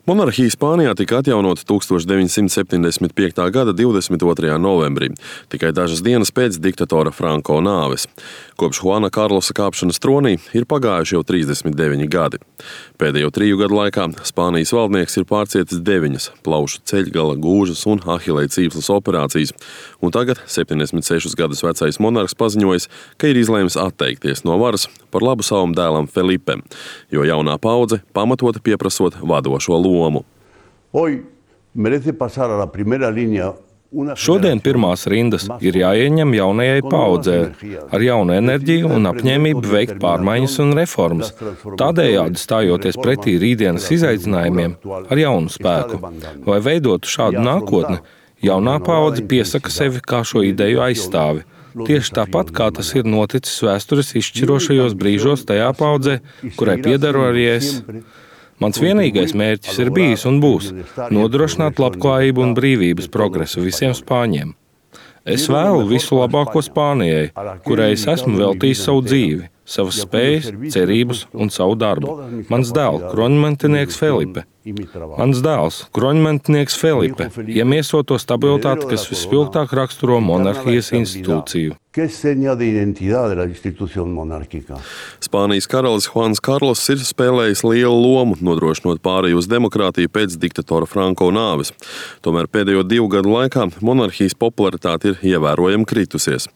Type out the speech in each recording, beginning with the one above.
Monarhija Spānijā tika atjaunota 1975. gada 22. novembrī, tikai dažas dienas pēc diktatora Franko nāves. Kopš Juana Karlosa kāpšanas tronī ir pagājuši jau 39 gadi. Pēdējo 3 gadu laikā Spānijas valdnieks ir pārcietis 9 plaušu ceļgala, gūžas un ahilei cīpslas operācijas, un tagad 76 gadus vecais monarhs paziņojis, ka ir izlēmis atteikties no varas par labu savam dēlam Felipem, jo jaunā paudze pamatoti pieprasot vadošo lomu. Šodien pirmās rindas ir jāieņem jaunajai paaudzē ar jaunu enerģiju un apņēmību veikt pārmaiņas un reformas, tādējādi stājoties pretī rītdienas izaicinājumiem ar jaunu spēku. Lai veidotu šādu nākotni, jaunā paudze piesaka sevi kā šo ideju aizstāvi. Tieši tāpat, kā tas ir noticis vēstures izšķirošajos brīžos tajā paudzē, kurai piedaru arī es. Mans vienīgais mērķis ir bijis un būs nodrošināt labklājību un brīvības progresu visiem spāņiem. Es vēlu visu labāko Spānijai, kurai es esmu veltījis savu dzīvi, savas spējas, cerības un savu darbu. Mans dēls, kroņmantinieks Felipe. Mans dēls, kroņmantinieks Felipe, iemieso to stabilitāti, kas vispilgtāk raksturo monarhijas institūciju. Spānijas karalis Juans Karlos ir spēlējis lielu lomu, nodrošinot pāreju uz demokrātiju pēc diktatora Franko nāves. Tomēr pēdējo 2 gadu laikā monarhijas popularitāte ir ievērojami kritusies.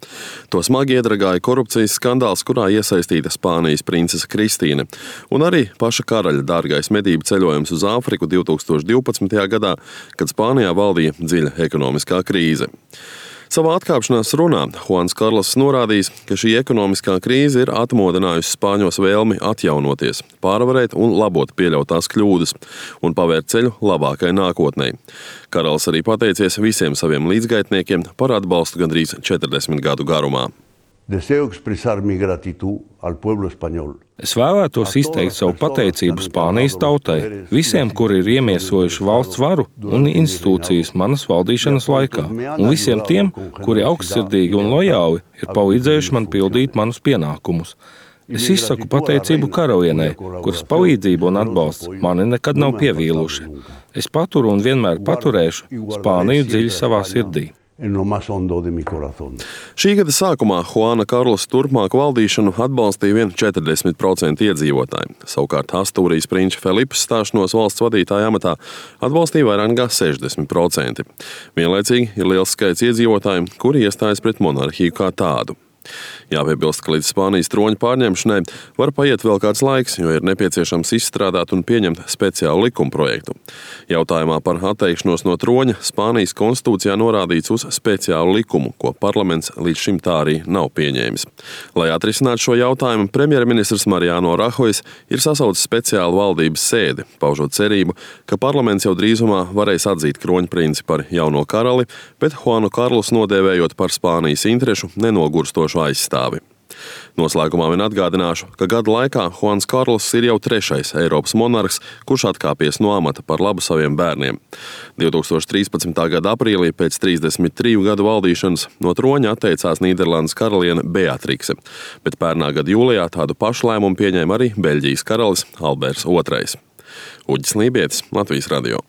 To smagi iedragāja korupcijas skandāls, kurā iesaistīta Spānijas princese Kristīne, un arī paša karaļa dārgais medību ceļojums uz Āfriku 2012. gadā, kad Spānijā valdīja dziļa ekonomiskā krīze. Savā atkāpšanās runā Juans Karlos norādījis, ka šī ekonomiskā krīze ir atmodinājusi spāņos vēlmi atjaunoties, pārvarēt un labot pieļautās kļūdas un pavērt ceļu labākai nākotnei. Karalis arī pateicies visiem saviem līdzgaitniekiem par atbalstu gandrīz 40 gadu garumā. Es vēlētos izteikt savu pateicību Spānijas tautai, visiem, kuri ir iemiesojuši valsts varu un institūcijas manas valdīšanas laikā, un visiem tiem, kuri augstsirdīgi un lojāli ir palīdzējuši man pildīt manus pienākumus. Es izsaku pateicību karalienei, kuras palīdzība un atbalsts mani nekad nav pievīluši. Es paturu un vienmēr paturēšu Spāniju dziļi savā sirdī. Šī gada sākumā Juana Karlosa turpmāku valdīšanu atbalstīja vien 40% iedzīvotāji. Savukārt Astūrijas prinča Felipa stāšanos valsts vadītāja amatā atbalstīja vairāk nekā 60%. Vienlaicīgi ir liels skaits iedzīvotāju, kuri iestājas pret monarhiju kā tādu. Jāpiebilst, ka līdz Spānijas troņa pārņemšanai var paiet vēl kāds laiks, jo ir nepieciešams izstrādāt un pieņemt speciālu likuma projektu. Jautājumā par atteikšanos no troņa Spānijas konstitūcijā norādīts uz speciālu likumu, ko parlaments līdz šim tā arī nav pieņēmis. Lai atrisinātu šo jautājumu, premjerministrs Mariano Rajoy ir sasaucis speciālu valdības sēdi, paužot cerību, ka parlaments jau drīzumā varēs atzīt kroņprinci par jauno karali, bet Juanu Karlosu nodēvējot par Spānijas interešu nenogurstošu aizstāvi. Noslēgumā vien atgādināšu, ka gada laikā Juans Karlos ir jau 3. Eiropas monarhs, kurš atkāpies no amata par labu saviem bērniem. 2013. gada aprīlī pēc 33 gadu valdīšanas no troņa atteicās Nīderlandes karaliene Beatrikse, bet pērnā gada jūlijā tādu pašu lēmumu pieņēma arī Beļģijas karalis Alberts II. Uģis Lībietis, Latvijas radio.